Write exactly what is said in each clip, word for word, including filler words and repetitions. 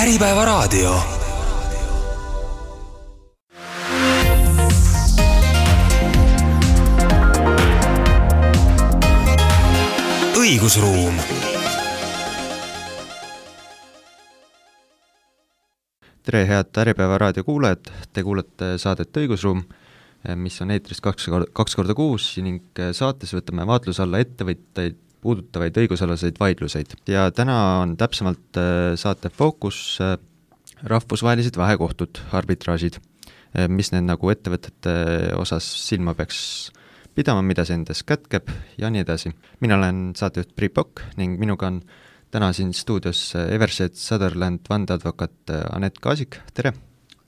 Äripäevaraadio. Õigusruum. Tere, head Äripäevaraadio kuulajad, te kuulete saadet Õigusruum, mis on eetris kaks, kaks korda kuus ning saates võtame vaatluse alla ettevõtteid puudutavaid õigusalaseid vaidluseid. Ja täna on täpsemalt saate fookus rahvusvahelised vahekohtud, arbitraažid, mis need nagu ettevõtete osas silma peaks pidama, mida see endas kätkeb ja nii edasi. Mina olen saatejuht Priit Pokk ning minuga on täna siin stuudios Evershed Sutherland vandeadvokaat Anett Kaasik, tere!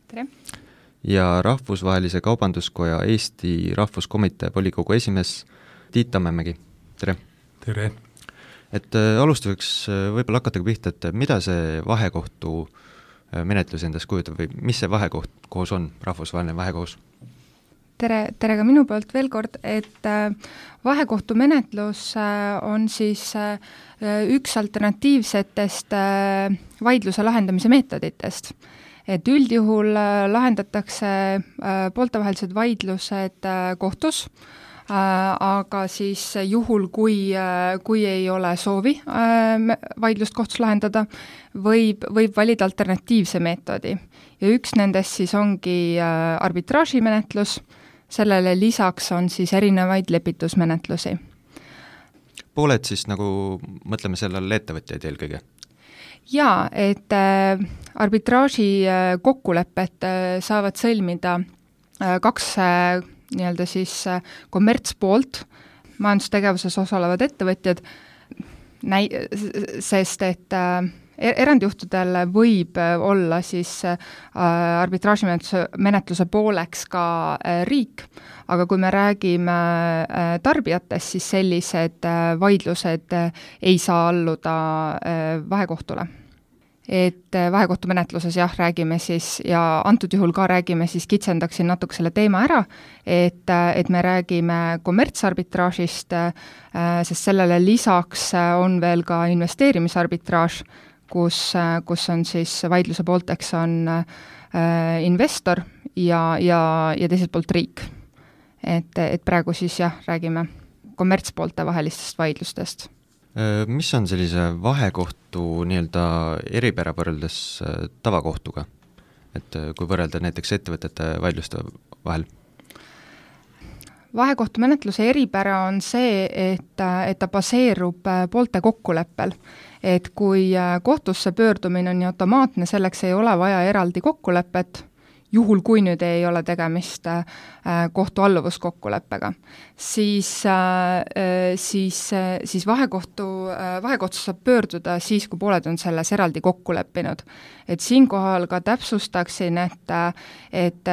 Tere! Ja Rahvusvahelise Kaubanduskoja Eesti Rahvuskomitee volikogu esimees Tiit Tammemägi, tere! Tere! Et alustuseks võib-olla hakatagi pihta, et mida see vahekohtu menetlus endas kujutab või mis see vahekoht koos on, rahvusvaheline vahekohus? Tere, tere ka minu poolt veel kord, et vahekohtu menetlus on siis üks alternatiivsetest vaidluse lahendamise meetoditest. Et üldjuhul lahendatakse pooltevahelised vaidlused kohtus, aga siis juhul, kui, kui ei ole soovi vaidlust kohtus lahendada, võib, võib valida alternatiivse meetodi. Ja üks nendest siis ongi arbitraažimenetlus, sellele lisaks on siis erinevaid lepitusmenetlusi. Pooled siis nagu, mõtleme sellele ettevõtjaid eelkõige? Jaa, et arbitraaži kokkulepet saavad sõlmida kaks nii-öelda siis kommertspoolt, majandustegevuses osalevad ettevõtjad, näi-, sest et erandjuhtudel võib olla siis arbitraažimenetluse pooleks ka riik, aga kui me räägime tarbijatest, siis sellised vaidlused ei saa alluda vahekohtule. Et vahekohtumenetluses jah, räägime siis ja antud juhul ka räägime siis, kitsendaksin natuke selle teema ära, et, et me räägime kommertsarbitraažist, sest sellele lisaks on veel ka investeerimisarbitraaž, kus, kus on siis vaidluse poolteks on investor ja, ja, ja teiselt poolt riik. Et, et praegu siis jah, räägime kommertspoolte vahelistest vaidlustest. Mis on sellise vahekohtu nii-öelda eripära võrreldes tavakohtuga? Et kui võrrelda näiteks ettevõtete vaidluste vahel? Vahekohtumenetluse eripära on see, et, et ta baseerub poolte kokkuleppel. Et kui kohtusse pöördumine on nii automaatne, selleks ei ole vaja eraldi kokkulepet, juhul kui nüüd ei ole tegemist kohtu alluvuskokkuleppega, siis, siis, siis vahekohtu, vahekohtu saab pöörduda siis, kui pooled on selles eraldi kokku leppinud. Et siinkohal ka täpsustaksin, et, et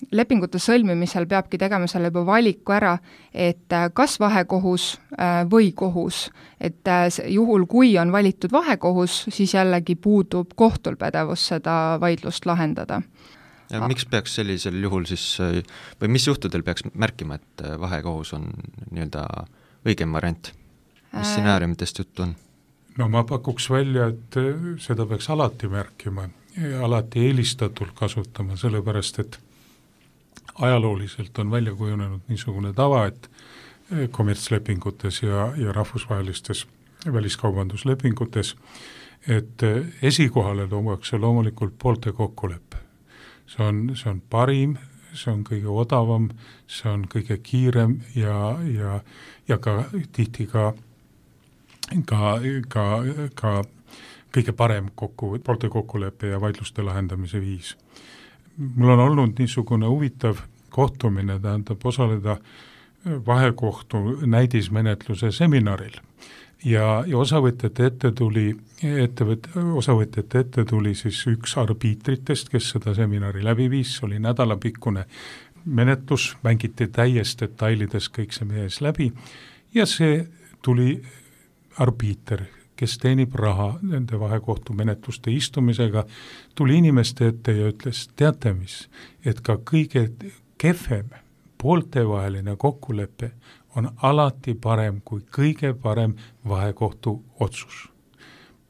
lepingute sõlmimisel peabki tegema selle juba valiku ära, et kas vahekohus või kohus. Et juhul, kui on valitud vahekohus, siis jällegi puudub kohtul pädevus seda vaidlust lahendada. Ja miks peaks sellisel juhul siis, või mis juhtudel peaks märkima, et vahekohus on nii-öelda õigem variant? Mis stsenaariumitest juttu on? No ma pakuks välja, et seda peaks alati märkima ja alati eelistatult kasutama, sellepärast et ajalooliselt on välja kujunenud niisugune tava, et kommertslepingutes ja, ja rahvusvahelistes väliskaubanduslepingutes, et esikohale tuuakse loomulikult poolte kokkuleppe. See on, see on parim, see on kõige odavam, see on kõige kiirem ja, ja, ja ka tihti ka, ka, ka, ka kõige parem kokku, poolte kokkuleppe ja vaidluste lahendamise viis. Mul on olnud niisugune huvitav kohtumine, tähendab osaleda vahekohtu näidismenetluse seminaril. Ja, ja osavõtjate ette tuli, ettevõt, osavõtjate ette tuli siis üks arbiitritest, kes seda seminari läbi viis, oli nädalapikkune menetlus, mängiti täies detailides kõik see mees läbi ja see tuli arbiiter, kes teenib raha nende vahekohtu menetluste istumisega, tuli inimeste ette ja ütles, teate mis, et ka kõige kehvem pooltevaheline kokkulepe on alati parem kui kõige parem vahekohtu otsus.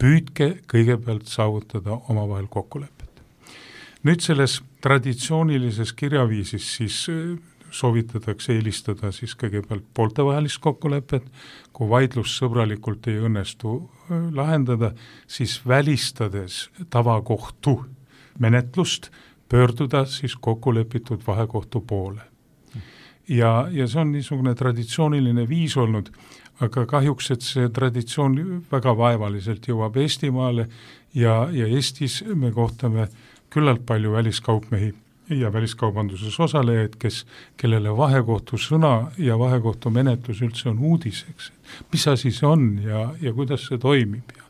püüdke kõigepealt saavutada omavahel kokkulepet. Nüüd selles traditsioonilises kirjaviisis siis soovitatakse eelistada siis kõigepealt pooltevahelist kokkulepet, kui vaidlus sõbralikult ei õnnestu lahendada, siis välistades tavakohtu menetlust, pöörduda siis kokkulepitud vahekohtu poole. Ja, ja see on niisugune traditsiooniline viis olnud, aga kahjuks, et see traditsioon väga vaevaliselt jõuab Eestimaale ja, ja Eestis me kohtame küllalt palju väliskaupmehi ja väliskaubanduses osalejaid, kes, kellele vahekohtu sõna ja vahekohtu menetlus üldse on uudiseks. Mis asi see on ja, ja kuidas see toimib? Ja,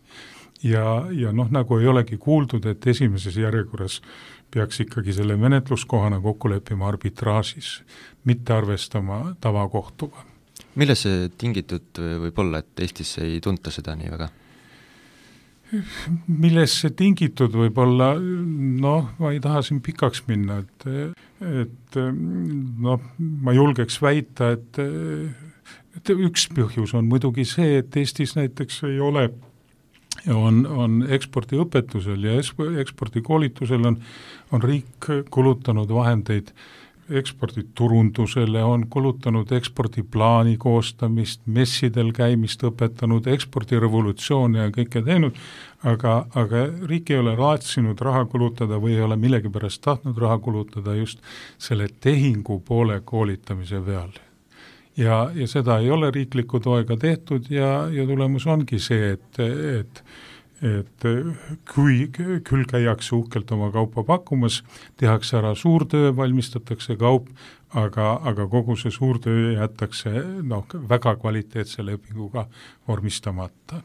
ja, ja noh, nagu ei olegi kuuldud, et esimeses järjekorras peaks ikkagi selle menetluskohana kokku leppima arbitraažis, mitte arvestama tavakohtuga. Milles see tingitud võib olla, et Eestis ei tunta seda nii väga? Milles see tingitud võib olla, noh, ma ei taha siin pikaks minna, et, et noh, ma julgeks väita, et, et üks põhjus on muidugi see, et Eestis näiteks ei ole, on, on ekspordiõpetusel ja ekspordikoolitusel on, on riik kulutanud vahendeid eksporditurundusele, on kulutanud ekspordiplaani koostamist, messidel käimist õpetanud, ekspordirevolutsioone ja kõike teinud, aga, aga riik ei ole raatsinud raha kulutada või ei ole millegipärast tahtnud raha kulutada just selle tehingu poole koolitamise peal. Ja, ja seda ei ole riikliku toega tehtud ja, ja tulemus ongi see, et, et et kui küll käiakse uhkelt oma kaupa pakkumas, tehakse ära suurtöö, valmistatakse kaup, aga, aga kogu see suurtöö jätakse noh, väga kvaliteetse lepinguga vormistamata.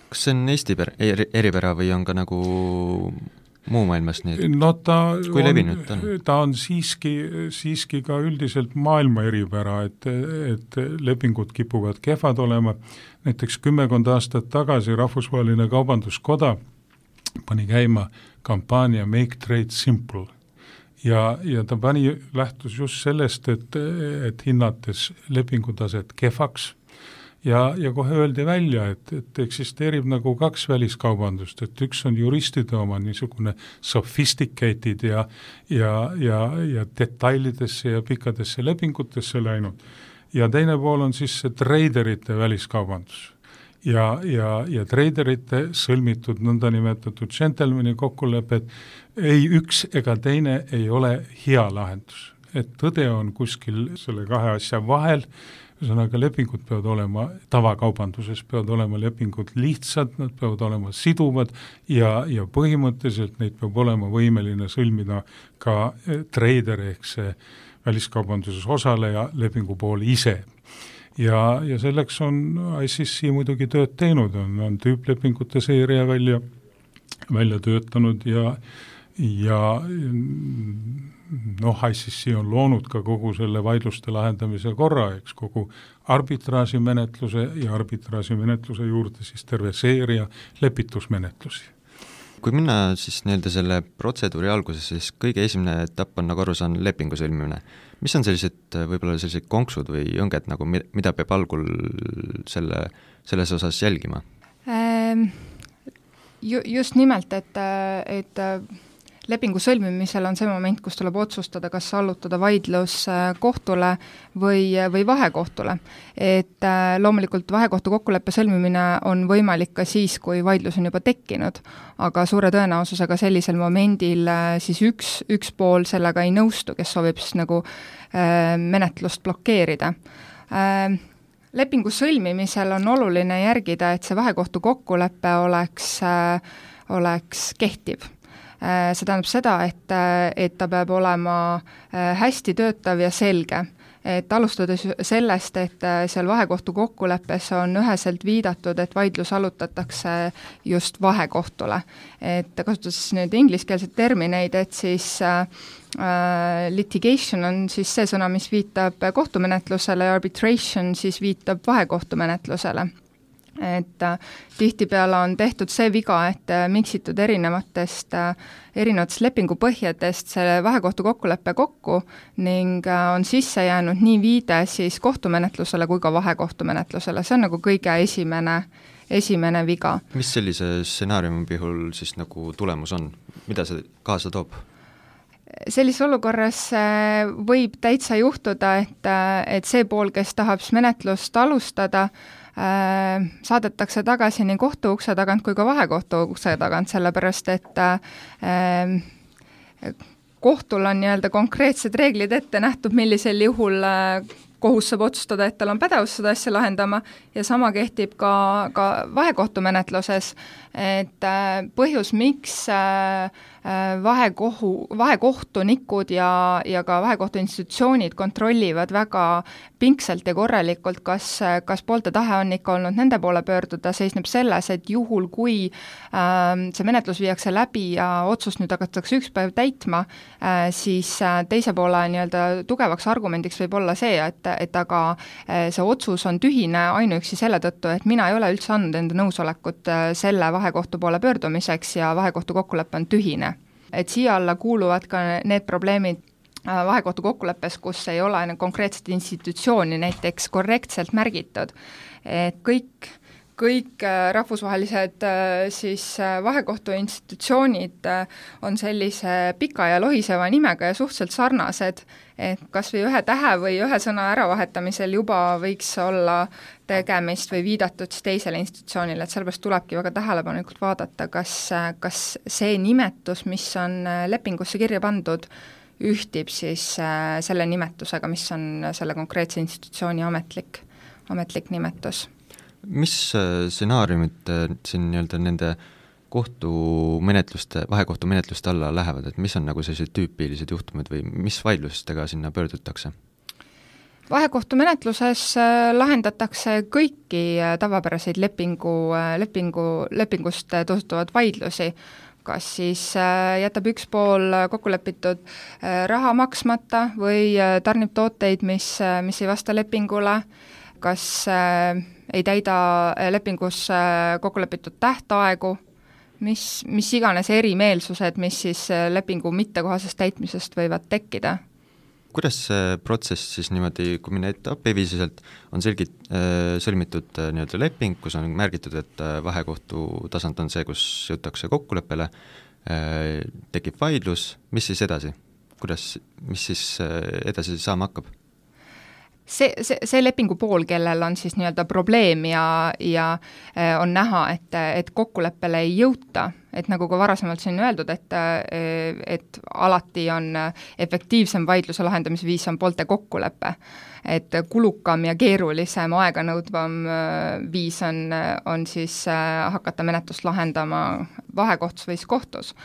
Kas see on Eesti per- eripära või on ka nagu muu maailmas nii? No ta kui levinud on? Ta on siiski, siiski ka üldiselt maailma eripära, et, et lepingud kipuvad kehvad olema. Näiteks kümmekond aastat tagasi Rahvusvaheline Kaubanduskoda pani käima kampaania Make Trade Simple ja, ja ta pani lähtus just sellest, et, et hinnates lepingutaset kehvaks ja, ja kohe öeldi välja, et, et eksisteerib nagu kaks väliskaubandust, et üks on juristide oma niisugune sophisticated ja, ja, ja, ja detailidesse ja pikkadesse lepingutesse läinud. Ja teine pool on siis see traderite väliskaubandus ja, ja, ja traderite sõlmitud nõndanimetatud gentlemani kokkulepet ei üks ega teine ei ole hea lahendus. Et tõde on kuskil selle kahe asja vahel, ühesõnaga lepingud peavad olema, tavakaubanduses peavad olema lepingud lihtsad, nad peavad olema siduvad ja, ja põhimõtteliselt neid peab olema võimeline sõlmida ka trader ehk see väliskaubanduses osaleja lepingu pool ise. Ja, ja selleks on I C C muidugi tööd teinud, on, on tüüplepingute seeria välja, välja töötanud ja, ja noh, I C C on loonud ka kogu selle vaidluste lahendamise korra, eks kogu arbitraažimenetluse ja arbitraažimenetluse juurde siis terve seeria lepitusmenetlusi. Kui minna siis nii-öelda selle protseduuri alguses, siis kõige esimene etapp on nagu aru saan lepingu sõlmimine. Mis on sellised võib-olla sellised konksud või õnged, nagu mida peab algul selle, selles osas jälgima? Just nimelt, et, et lepingu sõlmimisel on see moment, kus tuleb otsustada, kas allutada vaidlus kohtule või, või vahekohtule. Et loomulikult vahekohtu kokkuleppe sõlmimine on võimalik ka siis, kui vaidlus on juba tekkinud, aga suure tõenäosusega sellisel momendil siis üks, üks pool sellega ei nõustu, kes soovib siis nagu menetlust blokeerida. Lepingu sõlmimisel on oluline järgida, et see vahekohtu kokkulepe oleks, oleks kehtiv. See tähendab seda, et, et ta peab olema hästi töötav ja selge. Et alustades sellest, et seal vahekohtu kokkuleppes on üheselt viidatud, et vaidlus allutatakse just vahekohtule. Et kasutades nüüd ingliskeelseid termineid, et siis äh, litigation on siis see sõna, mis viitab kohtumenetlusele ja arbitration siis viitab vahekohtumenetlusele. Et äh, tihtipeale on tehtud see viga, et äh, miksitud erinevatest, äh, erinevatest lepingupõhjadest selle vahekohtu kokkuleppe kokku ning äh, on sisse jäänud nii viide siis kohtumenetlusele kui ka vahekohtumenetlusele. See on nagu kõige esimene, esimene viga. Mis sellise stsenaariumi puhul siis nagu tulemus on? Mida see kaasa toob? Sellises olukorras võib täitsa juhtuda, et, et see pool, kes tahab menetlust alustada, saadetakse tagasi nii kohtu ukse tagant kui ka vahekohtu ukse tagant, sellepärast et kohtul on nii-öelda konkreetsed reeglid ette nähtud, millisel juhul kohus saab otsustada, et tal on pädevus seda asja lahendama ja sama kehtib ka, ka vahekohtumenetluses, et põhjus, miks vahekohu, vahekohtunikud ja, ja ka vahekohtu institutsioonid kontrollivad väga pingsalt ja korralikult, kas, kas poolte tahe on ikka olnud nende poole pöörduda, seisneb selles, et juhul, kui äh, see menetlus viiakse läbi ja otsust nüüd hakatakse üks päev täitma, äh, siis äh, teise poole nii-öelda tugevaks argumendiks võib olla see, et, et aga äh, see otsus on tühine ainuüksi selle tõttu, et mina ei ole üldse andnud enda nõusolekut äh, selle vahekohtu poole pöördumiseks ja vahekohtu kokkulepe on tühine. Et siia alla kuuluvad ka need probleemid vahekohtu kokkuleppes, kus ei ole konkreetset institutsiooni näiteks korrektselt märgitud. Et kõik, kõik rahvusvahelised siis vahekohtu institutsioonid on sellise pika ja lohiseva nimega ja suhteliselt sarnased, et kas või ühe tähe või ühe sõna äravahetamisel juba võiks olla tegemist või viidatud siis teisele institutsioonile, et sellepärast tulebki väga tähelepanelikult vaadata, kas, kas see nimetus, mis on lepingusse kirja pandud, ühtib siis selle nimetusega, mis on selle konkreetse institutsiooni ametlik, ametlik nimetus. Mis stsenaariumid siin nii-öelda nende kohtumenetluste, vahekohtumenetluste alla lähevad, et mis on nagu sellised tüüpilised juhtumid või mis vaidlustega sinna pöördutakse? Vahekohtumenetluses lahendatakse kõiki tavapäraseid lepingu, lepingu, lepingust tõustuvad vaidlusi, kas siis jätab üks pool kokkulepitud raha maksmata või tarnib tooteid, mis, mis ei vasta lepingule, kas ei täida lepingus kokkulepitud tähtaegu, mis, mis iganes erimeelsused, mis siis lepingu mittekohasest täitmisest võivad tekkida. Kuidas see protsess siis niimoodi, kui minna etapiviisiselt, on selgit, sõlmitud nii-öelda leping, kus on märgitud, et vahekohtu tasand on see, kus jõutakse kokkuleppele, tekib vaidlus, mis siis edasi? Kuidas, mis siis edasi saama hakkab? See, see, see lepingu pool, kellel on siis nii-öelda probleem ja, ja on näha, et, et kokkuleppele ei jõuta, et nagu ka varasemalt siin öeldud, et, et alati on efektiivsem vaidluse lahendamise viis on poolte kokkulepe, et kulukam ja keerulisem aeganõudvam viis on, on siis hakata menetlust lahendama vahekohtus või kohtus.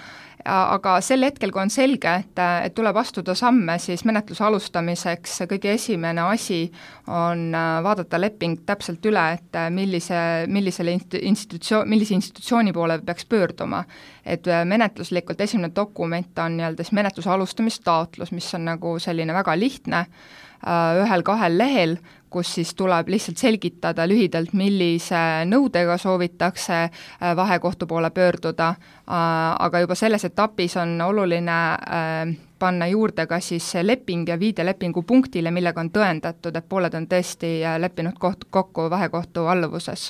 Aga sel hetkel, kui on selge, et, et tuleb astuda samme, siis menetluse alustamiseks kõige esimene asi on vaadata leping täpselt üle, et millise, millisele institutsioon, millise institutsiooni poole peaks pöörduma. Et menetluslikult esimene dokument on nii-öelda siis menetluse alustamistaotlus, mis on nagu selline väga lihtne, ühel-kahel lehel, kus siis tuleb lihtsalt selgitada lühidalt, millise nõudega soovitakse vahekohtu poole pöörduda, aga juba selles etapis on oluline panna juurde ka siis leping ja viide lepingu punktile, millega on tõendatud, et pooled on tõesti leppinud koht, kokku vahekohtu alluvuses.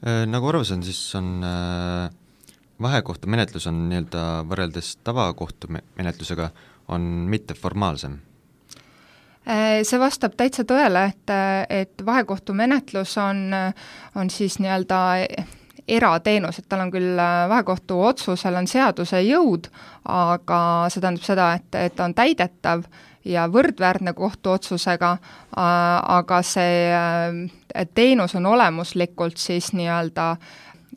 Nagu arvasin, siis on vahekohtu menetlus on nii-öelda võrreldes tavakohtu menetlusega on mitteformaalsem. See vastab täitsa tõele, et, et vahekohtu menetlus on, on siis nii-öelda erateenus, et tal on küll vahekohtu otsusel on seaduse jõud, aga see tähendab seda, et, et on täidetav ja võrdväärne kohtuotsusega, aga see teenus on olemuslikult siis nii-öelda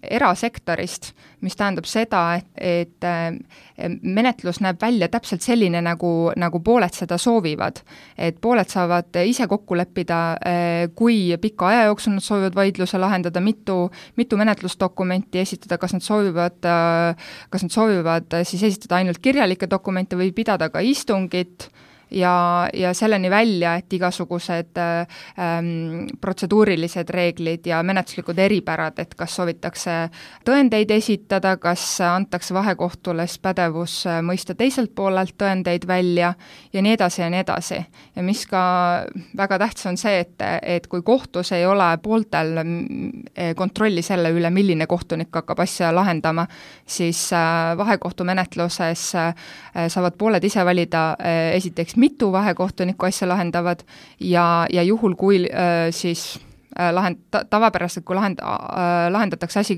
erasektorist, mis tähendab seda, et, et menetlus näeb välja täpselt selline, nagu, nagu pooled seda soovivad. Et pooled saavad ise kokku leppida, kui pika aja jooksul nad soovivad vaidluse lahendada, mitu, mitu menetlusdokumenti esitada, kas nad soovivad, kas nad soovivad siis esitada ainult kirjalikke dokumente või pidada ka istungit ja, ja selleni välja, et igasugused ähm, protseduurilised reeglid ja menetluslikud eripärad, et kas soovitakse tõendeid esitada, kas antakse vahekohtule pädevus mõista teiselt poolelt tõendeid välja ja nii edasi ja nii edasi. Ja mis ka väga tähtis on see, et, et kui kohtus ei ole pooltel kontrolli selle üle, milline kohtunik hakkab asja lahendama, siis vahekohtumenetluses saavad pooled ise valida esiteks mitu vahekohtunikku asja lahendavad ja, ja juhul, kui siis lahend, tavapäraselt, kui lahend, lahendatakse asi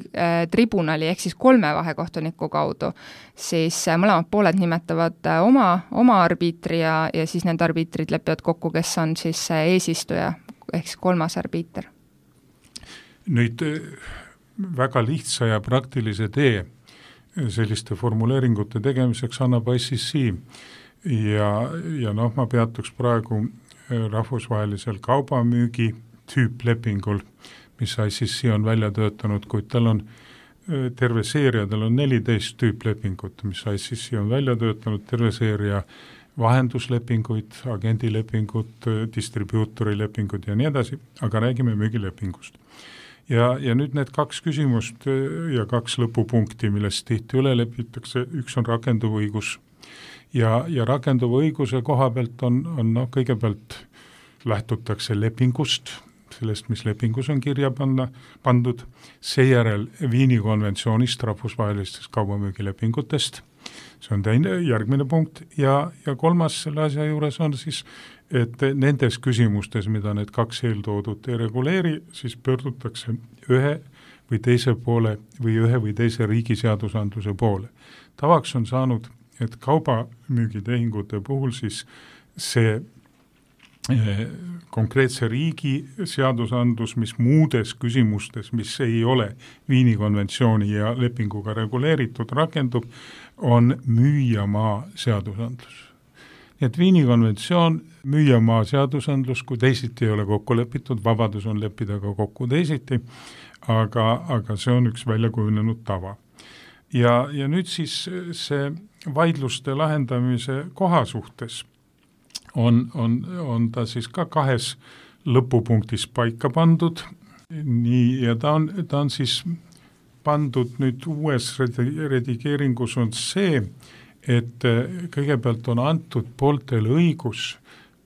tribunali ehk siis kolme vahekohtuniku kaudu, siis mõlemad pooled nimetavad oma, oma arbiitri ja, ja siis need arbiitrid lepivad kokku, kes on siis eesistuja ehk siis kolmas arbiiter. Nüüd väga lihtsa ja praktilise tee selliste formuleeringute tegemiseks annab I C C ja, ja noh, ma peatuks praegu rahvusvahelisel kaubamüügi tüüplepingul, mis I C C on välja töötanud, kuid tal on terve seeria, tal on neliteist tüüplepingut, mis I C C on välja töötanud, terve seeria vahenduslepinguid, agendilepingut, distribuutorilepingut ja nii edasi, aga räägime müügilepingust. Ja, ja nüüd need kaks küsimust ja kaks lõpupunkti, millest tihti üle lepitakse, üks on rakenduv õigus. Ja, ja rakenduv õiguse koha pealt on, on no, kõigepealt lähtutakse lepingust, sellest, mis lepingus on kirja panna, pandud, seejärel Viini konventsioonist, rahvusvahelistest kaubamüügilepingutest, see on teine, järgmine punkt, ja, ja kolmas selle asja juures on siis, et nendes küsimustes, mida need kaks eeltoodut ei reguleeri, siis pöördutakse ühe või teise poole või ühe või teise riigi seadusandluse poole. Tavaks on saanud, et kaubamüügitehingute puhul siis see konkreetse riigi seadusandlus, mis muudes küsimustes, mis ei ole Viini konventsiooni ja lepinguga reguleeritud, rakendub, on müüjamaa seadusandlus. Nii et Viini konventsioon, müüjamaa seadusandlus, kui teisiti ei ole kokku lepitud, vabadus on leppida ka kokku teisiti, aga, aga see on üks väljakujunenud tava. Ja, ja nüüd siis see vaidluste lahendamise koha suhtes On, on, on ta siis ka kahes lõpupunktis paika pandud, nii, ja ta on, ta on siis pandud nüüd uues redigeeringus on see, et kõigepealt on antud pooltel õigus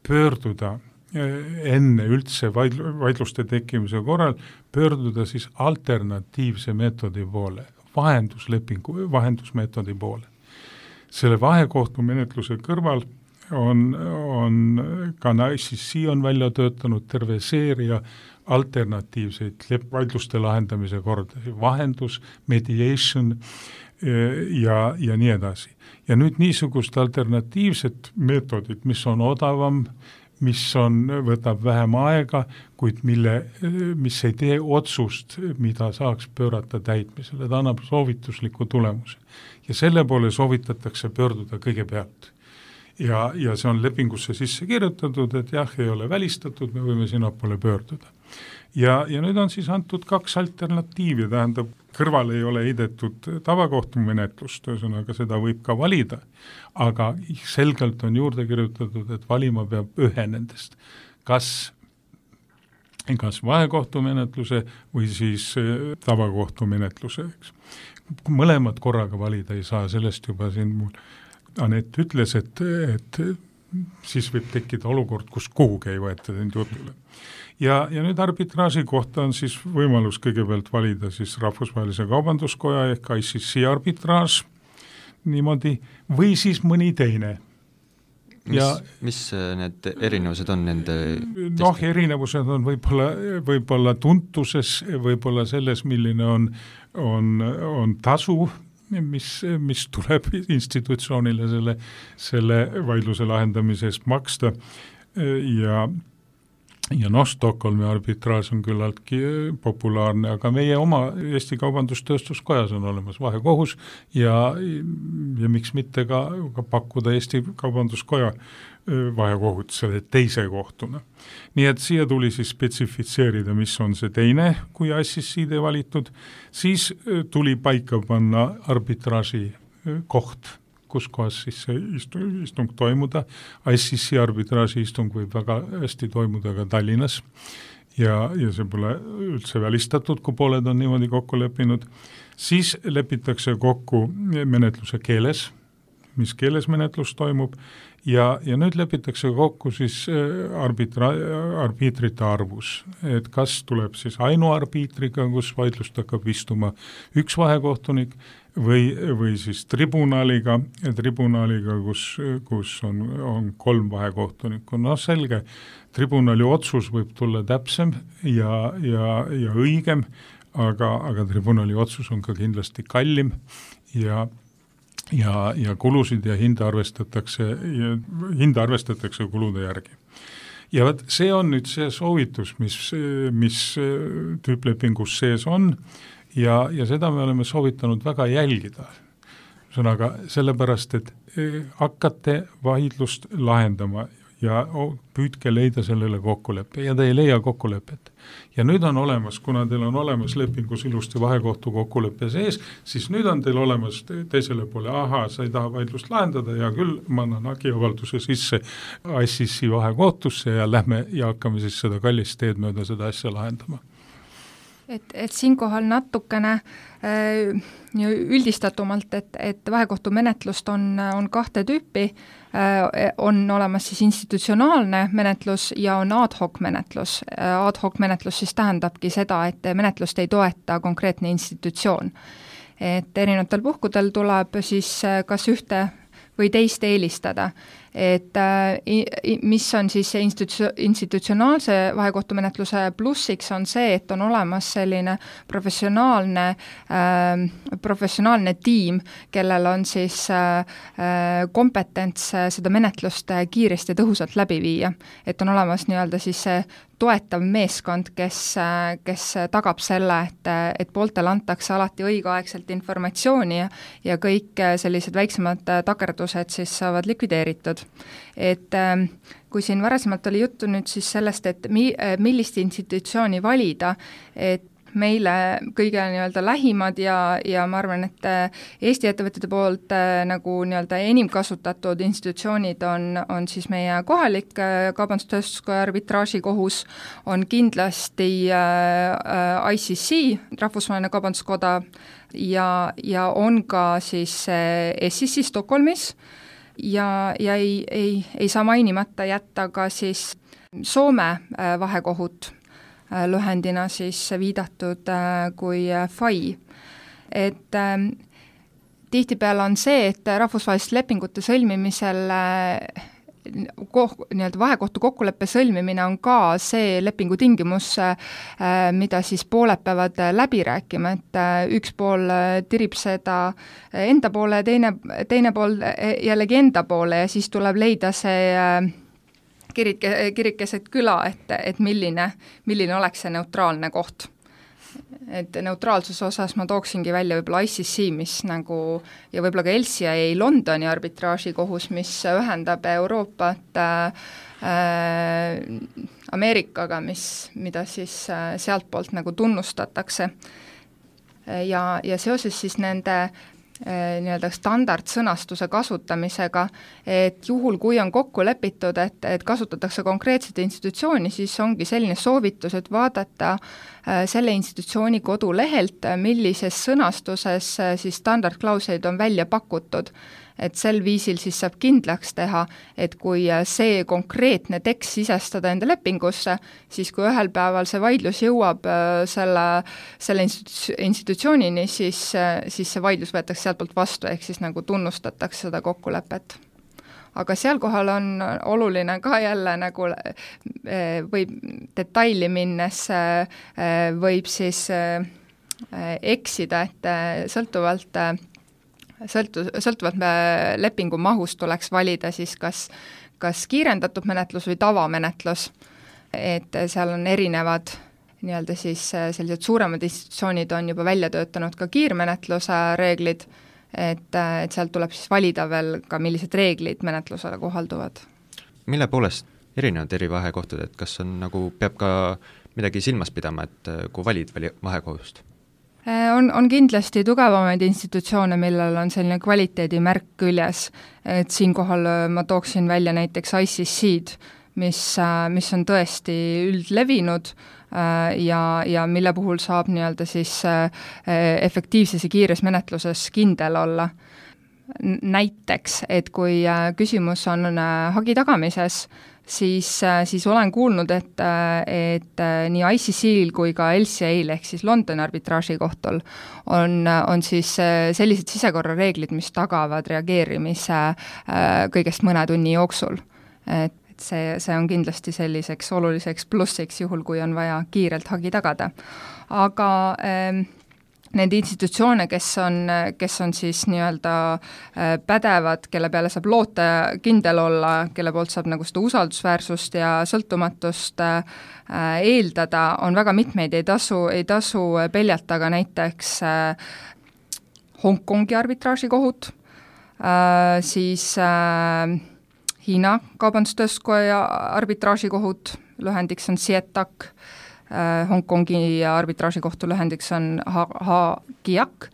pöörduda enne üldse vaidluste tekkimise korral, pöörduda siis alternatiivse meetodi poole, vahenduslepingu, vahendusmeetodi poole. Selle vahekohtumenetluse kõrval on, on ka I C C on välja töötanud terve seeria alternatiivseid vaidluste lahendamise korda, vahendus, mediation ja, ja nii edasi. Ja nüüd niisugust alternatiivset meetodit, mis on odavam, mis on, võtab vähem aega, kuid mille, mis ei tee otsust, mida saaks pöörata täitmisele, ta annab soovitusliku tulemuse. Ja selle poole soovitatakse pöörduda kõigepealt. Ja, ja see on lepingusse sisse kirjutatud, et jah, ei ole välistatud, me võime sinna poole pöörduda. Ja, ja nüüd on siis antud kaks alternatiivi, tähendab, kõrval ei ole heidetud tavakohtumenetlust, ühesõnaga seda võib ka valida, aga selgelt on juurde kirjutatud, et valima peab ühe nendest, kas, kas vahekohtumenetluse või siis tavakohtumenetluse. Mõlemad korraga valida ei saa, sellest juba siin mul Anett ütles, et, et siis võib tekkida olukord, kus kuhugi ei võeta end jutule. Ja, ja nüüd arbitraaži kohta on siis võimalus kõigepealt valida siis Rahvusvahelise Kaubanduskoja ehk I C C arbitraaž niimoodi, või siis mõni teine. Mis, ja, mis need erinevused on nende testi? Noh, erinevused on võib-olla, võib-olla tuntuses, võib-olla selles, milline on, on, on tasu, mis, mis tuleb institutsioonile selle, selle vaidluse lahendamisest maksta ja, ja noh, Stockholmi arbitraaž on küllaltki populaarne, aga meie oma Eesti Kaubandustööstuskojas on olemas vahekohus ja, ja miks mitte ka, ka pakkuda Eesti Kaubanduskoja vahekohut selle teise kohtuna. Nii et siia tuli siis spetsifitseerida, mis on see teine, kui I C C-de valitud, siis tuli paika panna arbitraaži koht, kus kohas siis see istung, istung toimuda. I C C arbitraaži istung võib väga hästi toimuda ka Tallinnas ja, ja see pole üldse välistatud, kui pooled on niimoodi kokku leppinud. Siis lepitakse kokku menetluse keeles, mis keeles menetlus toimub, ja, ja nüüd lepitakse kokku siis arbitra, arbiitrite arvus, et kas tuleb siis ainuarbiitriga, kus vaidlust hakkab istuma üks vahekohtunik, või, või siis tribunaliga, tribunaliga, kus, kus on, on kolm vahekohtunikku. No selge, tribunali otsus võib tulla täpsem ja, ja, ja õigem, aga, aga tribunali otsus on ka kindlasti kallim ja ja, ja kulusid ja hinda arvestatakse, ja hinda arvestatakse kulude järgi. Ja võt, see on nüüd see soovitus, mis, mis tüüplepingus sees on ja, ja seda me oleme soovitanud väga jälgida. Sõnaga, sellepärast, et hakkate vaidlust lahendama ja püüdke leida sellele kokkuleppe ja te ei leia kokkulepet. Ja nüüd on olemas, kuna teil on olemas lepingus ilusti vahekohtu kokkuleppe sees, siis nüüd on teil olemas teisele poole, aha, sa ei taha vaidlust lahendada ja küll ma annan hagiavalduse sisse I C C vahekohtusse ja lähme ja hakkame siis seda kallist teed mööda seda asja lahendama. Et, et siinkohal natukene äh, üldistatumalt, et, et vahekohtu menetlust on, on kahte tüüpi, äh, on olemas siis institutsionaalne menetlus ja on ad hoc menetlus. Ad hoc menetlus siis tähendabki seda, et menetlust ei toeta konkreetne institutsioon. Et erinevatel puhkudel tuleb siis kas ühte või teist eelistada, et mis on siis institu- institutsionaalse vahekohtumenetluse plussiks on see, et on olemas selline professionaalne, äh, professionaalne tiim, kellel on siis äh, kompetents seda menetlust kiiresti ja tõhusalt läbi viia. Et on olemas nii-öelda siis see toetav meeskond, kes, kes tagab selle, et, et pooltel antakse alati õigeaegselt informatsiooni ja, ja kõik sellised väiksemad takerdused siis saavad likvideeritud. Et kui siin varasemalt oli juttu nüüd siis sellest, et mi, millist institutsiooni valida, et meile kõige nii-öelda lähimad ja, ja ma arvan, et Eesti ettevõtjate poolt nagu nii-öelda enim kasutatud institutsioonid on, on siis meie kohalik kaubandustööstuskoja arbitraažikohus, on kindlasti I C C, Rahvusvaheline Kaubanduskoda ja, ja on ka siis S I C Stockholmis ja, ja ei, ei, ei saa mainimata jätta ka siis Soome vahekohut, lühendina siis viidatud kui F A I. Et äh, tihtipeale on see, et rahvusvaheliste lepingute sõlmimisel äh, koh, nii-öelda vahekohtu kokkuleppe sõlmimine on ka see lepingu tingimus, äh, mida siis pooled peavad läbi rääkima, et äh, üks pool tirib seda enda poole, teine, teine pool jällegi enda poole ja siis tuleb leida see äh, kirik, kirikeset küla, et, et milline, milline oleks see neutraalne koht. Et neutraalsuse osas ma tooksingi välja võib-olla I C C, mis nagu, ja võib-olla ka L C I A Londoni arbitraažikohus, mis ühendab Euroopat äh, Ameerikaga, mis, mida siis äh, sealt poolt nagu tunnustatakse. Ja, ja seoses siis nende nii-öelda standardsõnastuse kasutamisega, et juhul, kui on kokku lepitud, et, et kasutatakse konkreetset institutsiooni, siis ongi selline soovitus, et vaadata selle institutsiooni kodulehelt, millises sõnastuses siis standardklausleid on välja pakutud. Et sel viisil siis saab kindlaks teha, et kui see konkreetne tekst sisestada enda lepingusse, siis kui ühel päeval see vaidlus jõuab selle, selle institu- institutsioonini, siis, siis see vaidlus võetakse sealt poolt vastu, ehk siis nagu tunnustatakse seda kokkulepet. Aga seal kohal on oluline ka jälle nagu võib detaili minnes, võib siis eksida, et sõltuvalt Sõltu, sõltuvalt lepingu mahust tuleks valida siis kas, kas kiirendatud menetlus või tavamenetlus, et seal on erinevad nii-öelda siis sellised suuremad institutsioonid on juba välja töötanud ka kiirmenetluse reeglid, et, et sealt tuleb siis valida veel ka, millised reeglid menetlusele kohalduvad. Mille poolest erinevad eri vahekohtud, et kas on nagu, peab ka midagi silmas pidama, et kui valid vahekohust? On, on kindlasti tugevamaid institutsioone, millel on selline kvaliteedimärk küljes, et siinkohal ma tooksin välja näiteks I C C-d, mis, mis on tõesti üldlevinud ja, ja mille puhul saab nii-öelda siis efektiivses ja kiires menetluses kindel olla. Näiteks, et kui küsimus on hagi tagamises, siis, siis olen kuulnud, et, et nii I C C-l kui ka L C A-l ehk siis Londoni arbitraažikohtul on, on siis sellised sisekorrareeglid, mis tagavad reageerimise kõigest mõne tunni jooksul. Et see, see on kindlasti selliseks oluliseks plussiks juhul, kui on vaja kiirelt hagi tagada. Aga ähm, need institutsioone, kes on, kes on siis nii-öelda pädevad, kelle peale saab loota kindel olla, kelle poolt saab nagu seda usaldusväärsust ja sõltumatust eeldada, on väga mitmeid, ei tasu, ei tasu peljata ka näiteks Hongkongi arbitraažikohut, siis Hiina kaubandustööstuskoja arbitraažikohut, lühendiks on SIETAC, Hongkongi arbitraažikohtu lühendiks on H-G-I-A-C,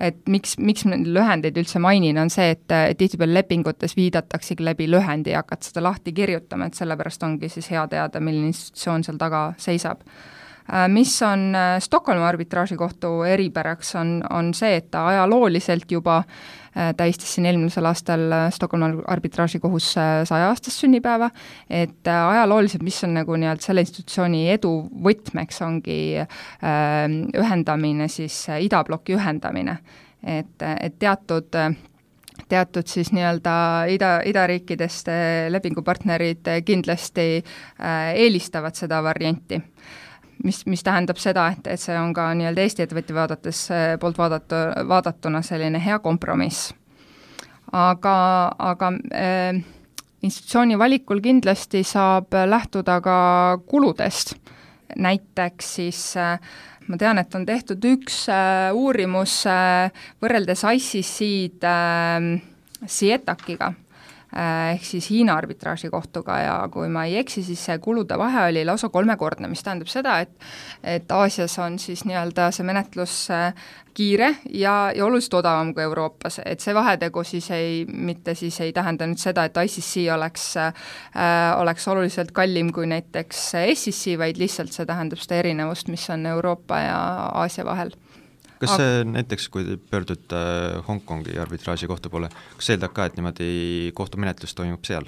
et miks, miks lühendeid üldse mainin, on see, et tihtipeale lepingutes viidataksegi läbi lühendi ja hakkad seda lahti kirjutama, et sellepärast ongi siis hea teada, milline institutsioon seal taga seisab. Mis on Stockholmi arbitraažikohtu eripäraks, on, on see, et ta ajalooliselt juba tähistas siin eelmisel aastal Stockholmi arbitraažikohus saja aastast sünnipäeva, et ajalooliselt, mis on nagu nii-öelda selle institutsiooni edu võtmeks, ongi ühendamine, siis idabloki ühendamine, et, et teatud teatud siis nii-öelda ida, idariikidest lepingupartnerid kindlasti eelistavad seda varianti. Mis, mis tähendab seda, et, et see on ka nii-öelda Eesti ettevõtja vaadates poolt vaadatu, vaadatuna selline hea kompromiss. Aga, aga äh, institutsiooni valikul kindlasti saab lähtuda ka kuludest. Näiteks siis äh, ma tean, et on tehtud üks äh, uurimus äh, võrreldes I C C-d äh, SIETAC-iga, ehk siis Hiina arbitraažikohtuga ja kui ma ei eksi, siis see kulude vahe oli lausa kolmekordne, mis tähendab seda, et, et Aasias on siis nii-öelda see menetlus kiire ja, ja oluliselt odavam kui Euroopas, et see vahetegu siis ei, mitte siis ei tähenda nüüd seda, et I C C oleks, äh, oleks oluliselt kallim kui näiteks S C C, vaid lihtsalt see tähendab seda erinevust, mis on Euroopa ja Aasia vahel. Kas see näiteks, kui te pöördute Hongkongi arbitraaži kohtu poole, kas see eeldab ka, et niimoodi kohtumenetlus toimub seal?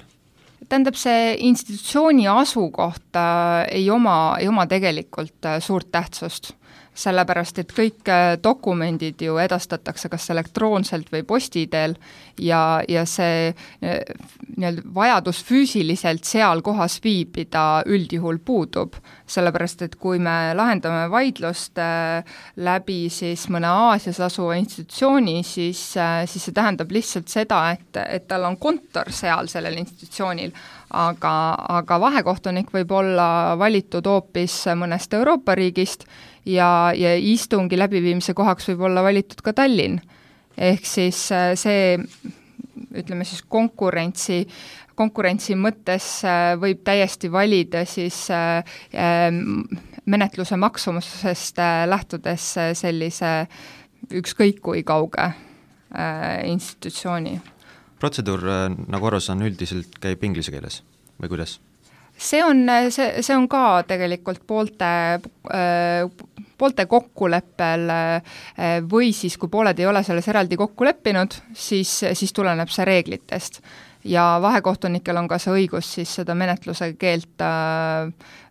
Tähendab, see institutsiooni asukoht ei oma, ei oma tegelikult suurt tähtsust, sellepärast et kõik dokumendid ju edastatakse kas elektroonselt või posti teel ja, ja see nii-öelda vajadus füüsiliselt seal kohas viibida üldjuhul puudub, sellepärast et kui me lahendame vaidlust läbi siis mõne Aasias asuva institutsiooni, siis, siis see tähendab lihtsalt seda, et, et tal on kontor seal sellel institutsioonil, aga, aga vahekohtunik võib olla valitud hoopis mõnest Euroopa riigist ja, ja istungi läbiviimise kohaks võib olla valitud ka Tallinn. Ehk siis see, ütleme siis konkurentsi, konkurentsi mõttes võib täiesti valida siis menetluse maksumusest lähtudes sellise ükskõik kui kauge institutsiooni. Protseduur, nagu aru saan, üldiselt käib inglise keeles või kuidas? See on, see, see on ka tegelikult poolte, poolte kokkuleppel või siis, kui pooled ei ole selles eraldi kokku leppinud, siis, siis tuleneb see reeglitest. Ja vahekohtunikel on ka see õigus siis seda menetluse keelt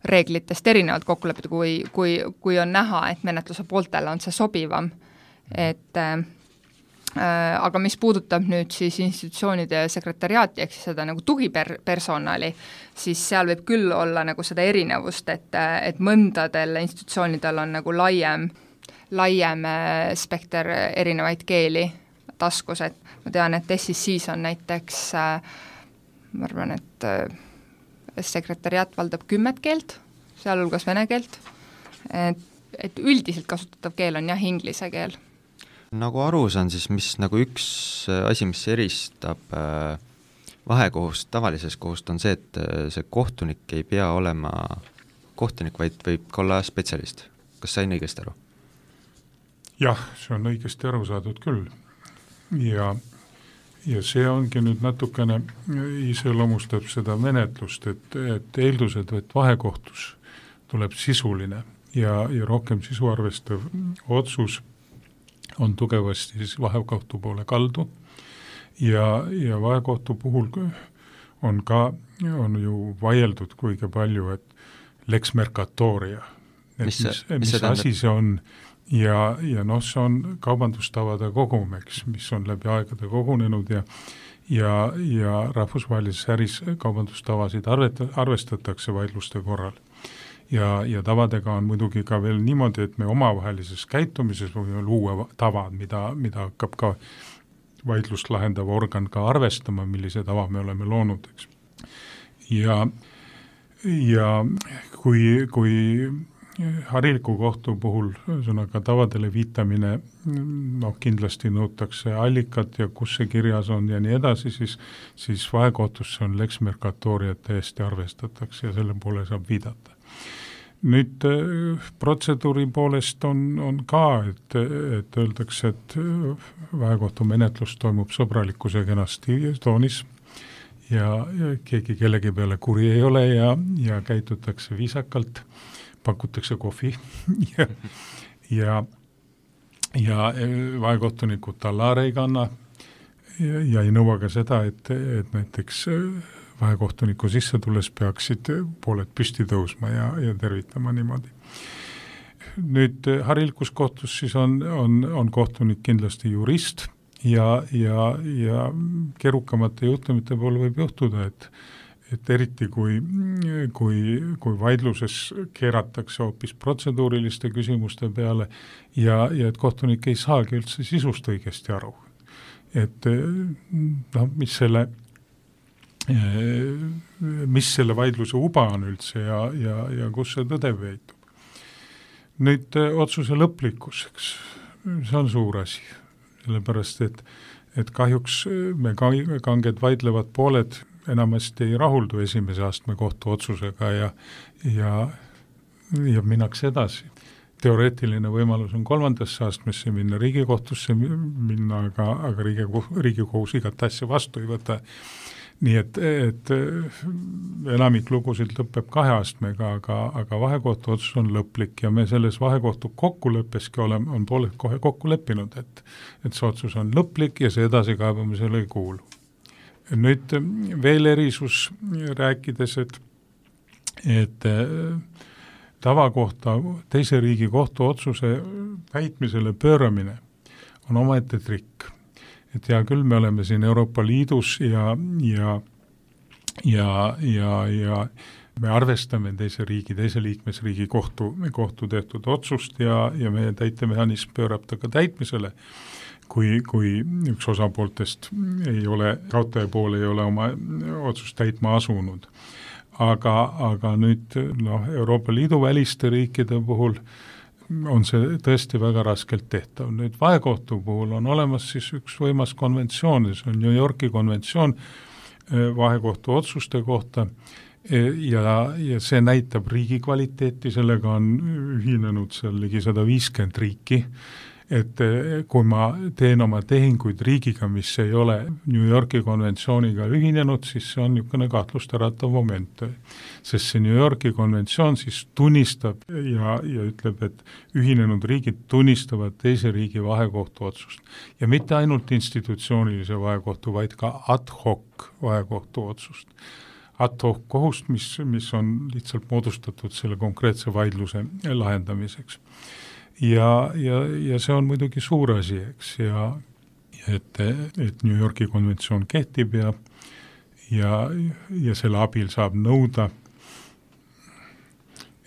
reeglitest erinevalt kokku leppida, kui, kui, kui on näha, et menetluse pooltele on see sobivam. Et aga mis puudutab nüüd siis institutsioonide sekretariaati, ehk siis seda nagu tugipersonali, siis seal võib küll olla nagu seda erinevust, et, et mõndadel institutsioonidel on nagu laiem, laiem spekter erinevaid keeli taskus, et ma tean, et S C C-s on näiteks, ma arvan, et sekretariaat valdab kümmet keelt, sealhulgas vene keelt, et, et üldiselt kasutatav keel on jah, inglise keel. Nagu aru saan, siis mis nagu üks asi, mis eristab vahekohust tavalisest kohust, on see, et see kohtunik ei pea olema kohtunik, vaid võib ka olla spetsialist. Kas sain õigesti aru? jah, see on õigesti aru saadud küll ja, ja see ongi nüüd natukene iseloomustab seda menetlust, et, et eeldused, et vahekohtus tuleb sisuline ja, ja rohkem sisu arvestav otsus on tugevasti siis vahekohtu poole kaldu ja, ja vahekohtu puhul on ka, on ju vaieldud kuigi palju, et lex mercatoria, et mis, mis, mis, mis asi see on ja, ja noh, see on kaubandustavade kogum, eks, mis on läbi aegade kogunenud ja ja, ja rahvusvahelises äris kaubandustavasid arvet, arvestatakse vaidluste korral. Ja, ja tavadega on muidugi ka veel niimoodi, et me omavahelises käitumises võime luua tavad, mida, mida hakkab ka vaidlust lahendav organ ka arvestama, millise tava me oleme loonud, eks. Ja, ja kui, kui hariliku kohtu puhul sõnaga tavadele viitamine, noh kindlasti nõutakse allikat ja kus see kirjas on ja nii edasi, siis, siis vahekohtusse on lex mercatoria täiesti arvestatakse ja selle poole saab viidata. Nüüd protseduuri poolest on, on ka, et, et öeldakse, et vahekohtu menetlus toimub sõbralikkuse kenasti toonis ja, ja keegi kellegi peale kuri ei ole ja, ja käitutakse viisakalt, pakutakse kohvi ja, ja, ja vahekohtunikud tallaare ei kanna ja, ja ei nõua ka seda, et, et näiteks vahekohtuniku sisse tulles peaksid pooled püsti tõusma ja, ja tervitama niimoodi. Nüüd harilikus kohtus siis on, on, on kohtunik kindlasti jurist ja, ja, ja keerukamate juhtumite poole võib juhtuda, et et eriti kui, kui, kui vaidluses keeratakse hoopis protseduuriliste küsimuste peale ja, ja et kohtunik ei saagi üldse sisust õigesti aru. Et noh, mis selle, mis selle vaidluse uba on üldse ja, ja, ja kus see tõde veitub. Nüüd otsuse lõplikkuseks, see on suur asi, sellepärast et, et kahjuks me kanged vaidlevad pooled enamasti ei rahuldu esimese astme kohtu otsusega ja, ja, ja minnakse edasi. Teoreetiline võimalus on kolmandasse astmesse minna, riigikohtusse minna, aga, aga riigikohus igat asja vastu ei võta. Nii et, et enamik lugusid lõpeb kahe astmega, aga, aga vahekohtu otsus on lõplik ja me selles vahekohtu kokkuleppeski oleme, on pooled kohe kokku leppinud, et, et see otsus on lõplik ja see edasikaebamisele ei kuulu. Nüüd veel erisus rääkides, et, et tavakohta teise riigi kohtu otsuse täitmisele pööramine on omaette trikk. Et hea küll, me oleme siin Euroopa Liidus ja, ja, ja, ja, ja me arvestame teise riigi, teise liikmesriigi kohtu, kohtu tehtud otsust ja, ja meie täitemehhanism pöörab ta ka täitmisele. Kui, kui üks osapooltest ei ole, kaotaja pool ei ole oma otsust täitma asunud. Aga, aga nüüd noh, Euroopa Liidu väliste riikide puhul on see tõesti väga raskelt tehtav. Nüüd vahekohtu puhul on olemas siis üks võimas konventsioon, see on New Yorki konventsioon vahekohtu otsuste kohta ja, ja see näitab riigi kvaliteeti, sellega on ühinenud seal ligi sada viiskümmend riiki, et kui ma teen oma tehinguid riigiga, mis ei ole New Yorki konventsiooniga ühinenud, siis see on niisugune kahtlust äratav moment. Sest see New Yorki konventsioon siis tunnistab ja, ja ütleb, et ühinenud riigid tunnistavad teise riigi vahekohtu otsust. Ja mitte ainult institutsioonilise vahekohtu, vaid ka ad hoc vahekohtu otsust. Ad hoc kohust, mis, mis on lihtsalt moodustatud selle konkreetse vaidluse lahendamiseks. Ja, ja, ja see on muidugi suur asi, eks, ja et, et New Yorki konventsioon kehtib ja, ja, ja selle abil saab nõuda,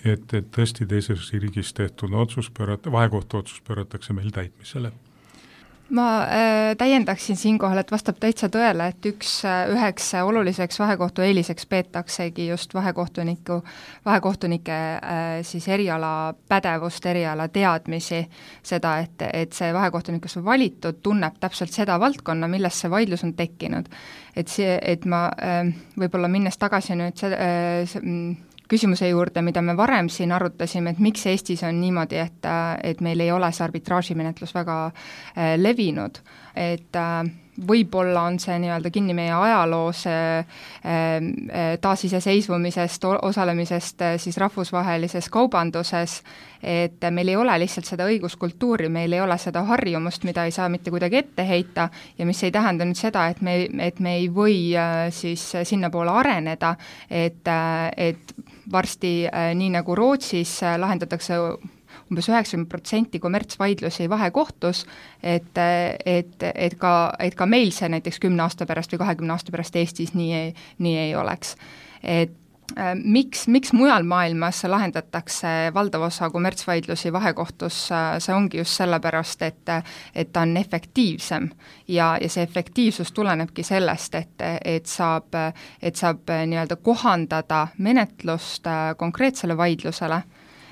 et, et tõesti teises riigis tehtud otsus pöörata, vahekohtu otsus pööratakse meil täitmisele. Ma äh, täiendaksin siinkohal, et vastab täitsa tõele, et üks üheks oluliseks vahekohtu eeliseks peetaksegi just vahekohtuniku, vahekohtunike äh, siis eriala pädevust, eriala teadmisi, seda, et, et see vahekohtunik, kes on valitud, tunneb täpselt seda valdkonna, milles see vaidlus on tekkinud. Et see, et ma äh, võib-olla minnes tagasi nüüd see, äh, see küsimuse juurde, mida me varem siin arutasime, et miks Eestis on niimoodi, et, et meil ei ole see arbitraažimenetlus väga äh, levinud, et äh, võib-olla on see nii-öelda kinni meie ajaloos taasiseseisvumisest, osalemisest siis rahvusvahelises kaubanduses, et meil ei ole lihtsalt seda õiguskultuuri, meil ei ole seda harjumust, mida ei saa mitte kuidagi ette heita ja mis ei tähenda nüüd seda, et me, et me ei või siis sinnapoole areneda, et, et varsti nii nagu Rootsis lahendatakse umbes üheksakümmend protsenti kommertsvaidlusi vahekohtus, et, et, et, ka, et ka meil see näiteks kümne aasta pärast või kahekümne aasta pärast Eestis nii ei, nii ei oleks. Et äh, miks, miks mujal maailmas lahendatakse valdav osa kommertsvaidlusi vahekohtus, see ongi just sellepärast, et, et ta on efektiivsem ja, ja see efektiivsus tulenebki sellest, et, et saab, et saab nii-öelda kohandada menetlust konkreetsele vaidlusele,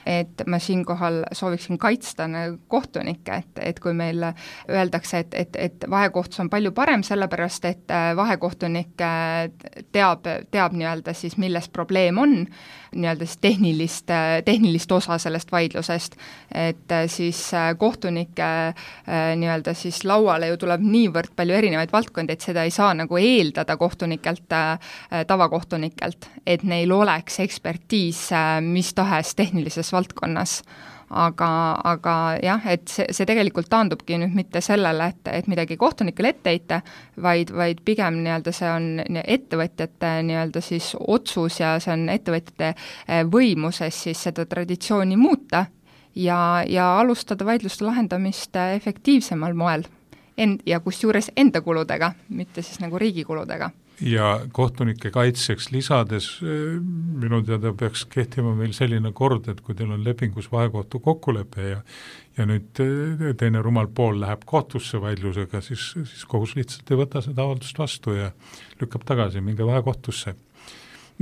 et ma siinkohal sooviksin kaitsta kohtunikke, et, et kui meil öeldakse, et, et, et vahekohtus on palju parem, sellepärast et vahekohtunik teab, teab nii-öelda siis, milles probleem on, nii-öelda siis tehnilist, tehnilist osa sellest vaidlusest, et siis kohtunike nii-öelda siis lauale ju tuleb niivõrd palju erinevaid valdkondi, et seda ei saa nagu eeldada kohtunikelt, tavakohtunikelt, et neil oleks ekspertiis mis tahes tehnilises valdkonnas, aga, aga jah, et see, see tegelikult taandubki nüüd mitte sellele, et, et midagi kohtunikele ette heita, vaid, vaid pigem nii-öelda see on ettevõtjate nii-öelda siis otsus ja see on ettevõtjate võimuses siis seda traditsiooni muuta ja, ja alustada vaidluste lahendamist efektiivsemal moel end, ja kusjuures enda kuludega, mitte siis nagu riigi kuludega. Ja kohtunike kaitseks lisades minu teada peaks kehtima meil selline kord, et kui teil on lepingus vahekohtu kokkulepe ja, ja nüüd teine rumal pool läheb kohtusse vaidlusega, siis, siis kohus lihtsalt ei võta seda avaldust vastu ja lükkab tagasi, minge vahekohtusse.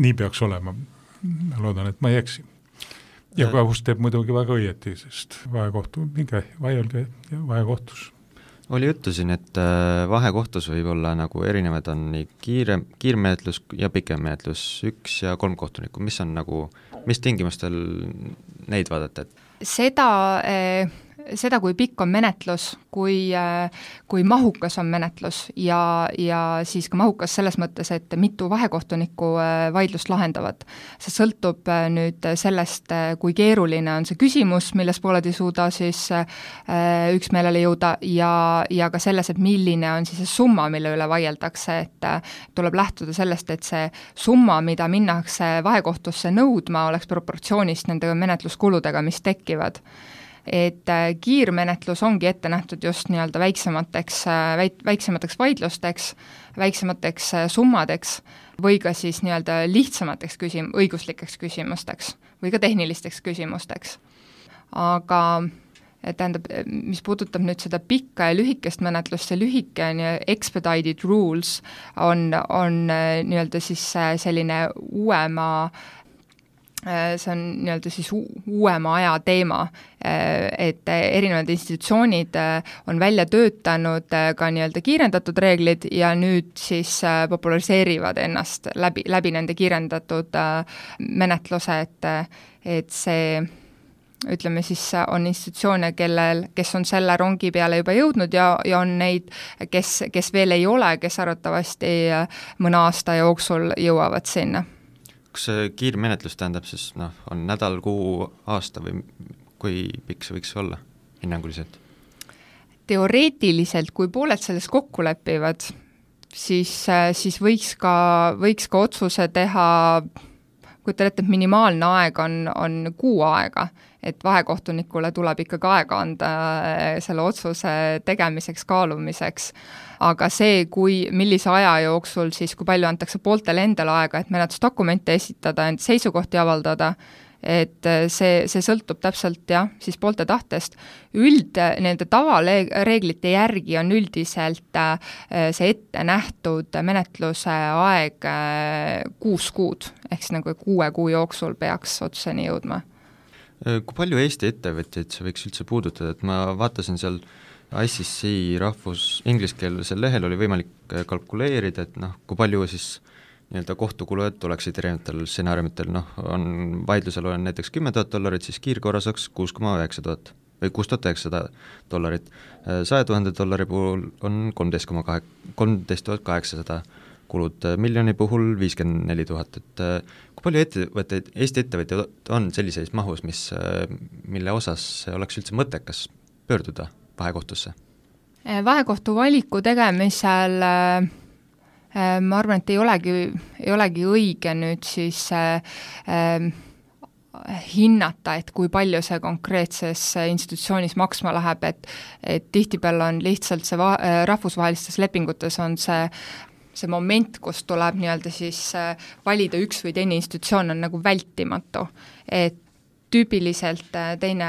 Nii peaks olema. Ma loodan, et ma ei eksi. Ja kohus teeb muidugi väga õieti, sest vahekohtu, minge vaielge vahekohtus. Oli juttu siin, et vahekohtus võib olla nagu erinevad on nii kiire, kiirmenetlus ja pikem menetlus, üks ja kolm kohtunikku, mis on nagu, mis tingimustel neid vaadata? Seda, seda, kui pikk on menetlus, kui, kui mahukas on menetlus ja, ja siis ka mahukas selles mõttes, et mitu vahekohtunikku vaidlust lahendavad. See sõltub nüüd sellest, kui keeruline on see küsimus, milles pooled ei suuda siis üksmeelele jõuda ja, ja ka selles, et milline on siis see summa, mille üle vaieldakse, et tuleb lähtuda sellest, et see summa, mida minnakse vahekohtusse nõudma, oleks proportsioonist nende menetluskuludega, mis tekivad. Et kiirmenetlus ongi ette nähtud just nii-öelda väiksemateks, väiksemateks vaidlusteks, väiksemateks summadeks või ka siis nii-öelda lihtsamateks küsim-, õiguslikeks küsimusteks või ka tehnilisteks küsimusteks. Aga tähendab, mis puudutab nüüd seda pikka ja lühikest menetlust, see lühike expedited rules on, on nii-öelda siis selline uuema see on nii-öelda siis uuema aja teema, et erinevad institutsioonid on välja töötanud ka nii-öelda kiirendatud reeglid ja nüüd siis populariseerivad ennast läbi, läbi nende kiirendatud menetluse, et, et see ütleme siis on institutsioone, kellel, kes on selle rongi peale juba jõudnud ja, ja on neid, kes, kes veel ei ole, kes arvatavasti mõne aasta jooksul jõuavad sinna. Kas see kiirmenetlus tähendab siis, noh, on nädal, kuu, aasta või kui pikk see võiks olla hinnanguliselt? Teoreetiliselt, kui pooled selles kokku lepivad, siis, siis võiks, ka, võiks ka otsuse teha, kui te olete, et minimaalne aeg on, on kuu aega, et vahekohtunikule tuleb ikkagi aega anda selle otsuse tegemiseks, kaalumiseks. Aga see, kui, millise aja jooksul siis, kui palju antakse pooltele endale aega, et menetlusdokumente esitada, ent seisukohti avaldada, et see, see sõltub täpselt jah, siis poolte tahtest. Üld, nende tavaleeglite järgi on üldiselt see ette nähtud menetluse aeg kuus kuud, ehk siis nagu kuue kuu jooksul peaks otsuseni jõudma. Kui palju Eesti ettevõtjaid see võiks üldse puudutada, et ma vaatasin seal I C C rahvus ingliskeelsel lehel oli võimalik kalkuleerida, et noh, kui palju siis nii-öelda kohtukulud oleksid erinevatel stsenaariumitel, noh, on vaidlusel on näiteks kümme tuhat dollarit, siis kiirkorras oleks kuus koma üheksa tuhat või kuus tuhat üheksasada dollarit. saja tuhande dollari puhul on kolmteist koma kahe, kolmteist tuhat kaheksasada kulud, miljoni puhul viiskümmend neli tuhat, et kui palju ettevõtteid, Eesti ettevõtjaid on sellises mahus, mis, mille osas oleks üldse mõttekas pöörduda vahekohtusse? Vahekohtu valiku tegemisel ma arvan, et ei olegi, ei olegi õige nüüd siis äh, hinnata, et kui palju see konkreetses institutsioonis maksma läheb, et, et tihtipeale on lihtsalt see va-, rahvusvahelistes lepingutes on see see moment, kus tuleb nii-öelda siis valida üks või teine institutsioon, on nagu vältimatu, et tüüpiliselt teine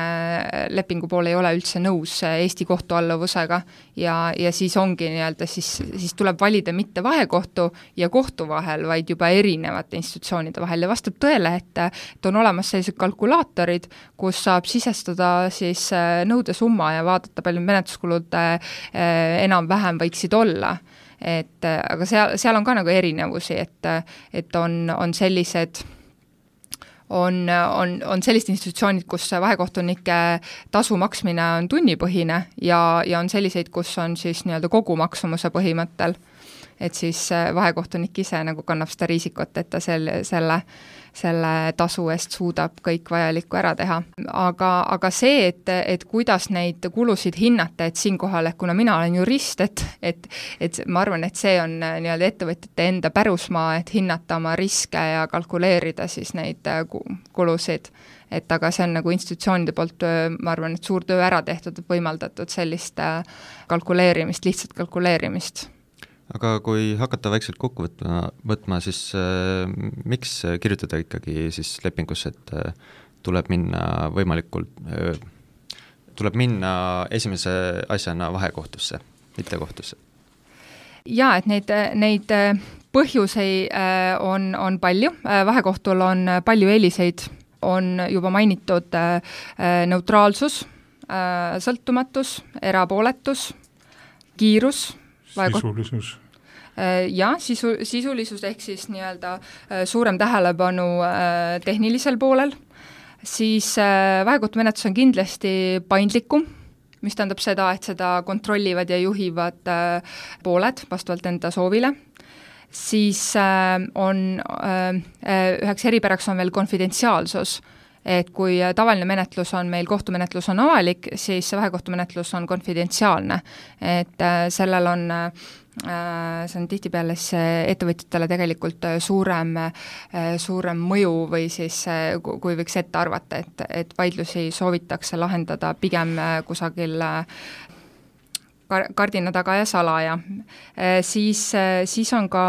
lepingupool ei ole üldse nõus Eesti kohtualluvusega ja, ja siis ongi nii-öelda, siis, siis tuleb valida mitte vahekohtu ja kohtu vahel, vaid juba erinevate institutsioonide vahel ja vastab tõele, et, et on olemas sellised kalkulaatorid, kus saab sisestada siis nõudesumma ja vaadata, palju menetluskulud enam-vähem võiksid olla. Et aga seal, seal on ka nagu erinevusi, et, et on, on sellised On, on, on sellised institutsioonid, kus vahekohtunike tasu maksmine on tunnipõhine ja, ja on selliseid, kus on siis nii-öelda kogu maksumuse põhimõttel, et siis vahekohtunik ise nagu kannab seda riisikut, et ta selle, selle, selle tasu eest suudab kõik vajalikku ära teha. Aga, aga see, et, et kuidas neid kulusid hinnata, et siinkohal, et kuna mina olen jurist, et, et, et ma arvan, et see on nii-öelda ettevõtjate enda pärusmaa, et hinnata oma riske ja kalkuleerida siis neid kulusid. Et aga see on nagu institutsioonide poolt, ma arvan, et suur töö ära tehtud, võimaldatud sellist kalkuleerimist, lihtsalt kalkuleerimist. Aga kui hakata vaikselt kokku võtma, võtma siis äh, miks kirjutada ikkagi siis lepingusse, et äh, tuleb minna võimalikult äh,, tuleb minna esimese asjana vahekohtusse, mitte kohtusse? Jaa, et neid, neid põhjuseid äh, on, on palju, vahekohtul on palju eeliseid, on juba mainitud äh, neutraalsus, äh, sõltumatus, erapooletus, kiirus, sisulisus. Ja, sisu, sisulisus ehk siis nii-öelda suurem tähelepanu tehnilisel poolel, siis vahekohtumenetlus on kindlasti paindlikum, mis tähendab seda, et seda kontrollivad ja juhivad pooled vastavalt enda soovile, siis on üheks eripäraks on veel konfidentsiaalsus, et kui tavaline menetlus on meil, kohtumenetlus on avalik, siis vahekohtumenetlus on konfidentsiaalne, et sellel on, see on tihtipeale ettevõtjatele tegelikult suurem, suurem mõju või siis kui võiks ette arvata, et, et vaidlusi soovitakse lahendada pigem kusagil kardina taga ja salaja. Siis, siis on ka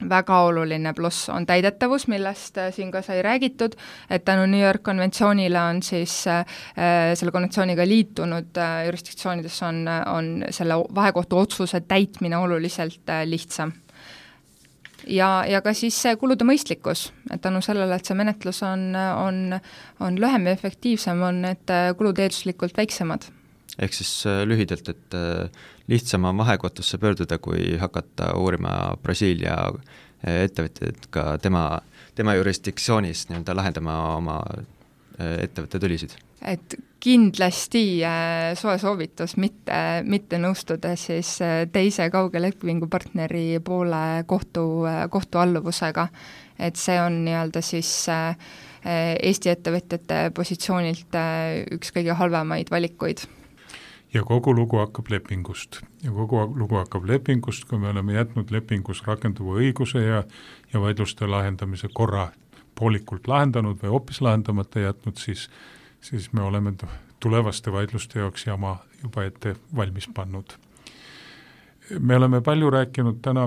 väga oluline pluss on täidetavus, millest siin ka sai räägitud, et tänu New York konventsioonile on siis äh, selle konventsiooniga liitunud äh, jurisdiktsioonides on, on selle vahekohtu otsuse täitmine oluliselt äh, lihtsam. Ja, ja ka siis see kulude mõistlikkus, et tänu sellele, et see menetlus on, on, on lühem ja efektiivsem, on need kulud eelduslikult väiksemad. Ehk siis lühidalt, et lihtsam on vahekohtusse pöörduda, kui hakata uurima Brasiilia ettevõtjad ka tema, tema jurisdiktsioonis nii-öelda lahendama oma ettevõtte tülisid. Et kindlasti soe soovitus mitte, mitte nõustuda siis teise kauge lepingupartneri poole kohtu, kohtualluvusega, et see on nii-öelda siis Eesti ettevõtjate positsioonilt üks kõige halvemaid valikuid. Ja kogu lugu hakkab lepingust. Ja kogu lugu hakkab lepingust, kui me oleme jätnud lepingus rakenduva õiguse ja, ja vaidluste lahendamise korra poolikult lahendanud või hoopis lahendamata jätnud, siis, siis me oleme tulevaste vaidluste jaoks jama juba ette valmis pannud. Me oleme palju rääkinud täna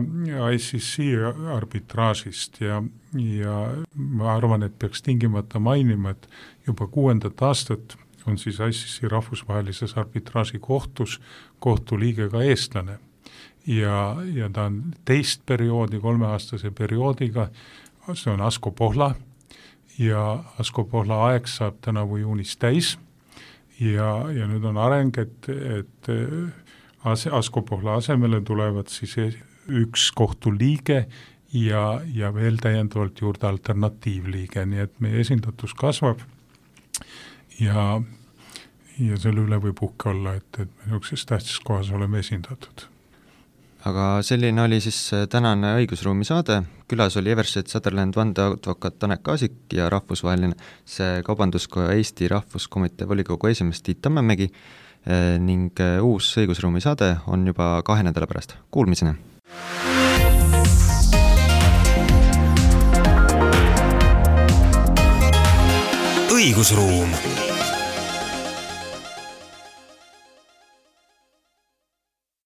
I C C arbitraažist ja, ja ma arvan, et peaks tingimata mainima, et juba kuuendat aastat on siis I C C rahvusvahelises arbitraaži kohtus kohtuliige ka eestlane. Ja, ja ta on teist perioodi, kolmeaastase perioodiga, see on Asko Pohla ja Asko Pohla aeg saab tänavu juunis täis ja, ja nüüd on areng, et, et Asko Pohla asemele tulevad siis üks kohtuliige ja, ja veel täiendavalt juurde alternatiivliige, nii et meie esindatus kasvab ja, ja selle üle võib uhke olla, et, et me niisuguses tähtsas kohas oleme esindatud. Aga selline oli siis tänane õigusruumi saade, külas oli Eversheds Sutherland vandeadvokaat Tanel Kaasik ja rahvusvaheline see Kaubanduskoja Eesti Rahvuskomitee volikogu esimees Tiit Tammemägi ning uus õigusruumi saade on juba kahe nädala pärast. Kuulmiseni! õigusruum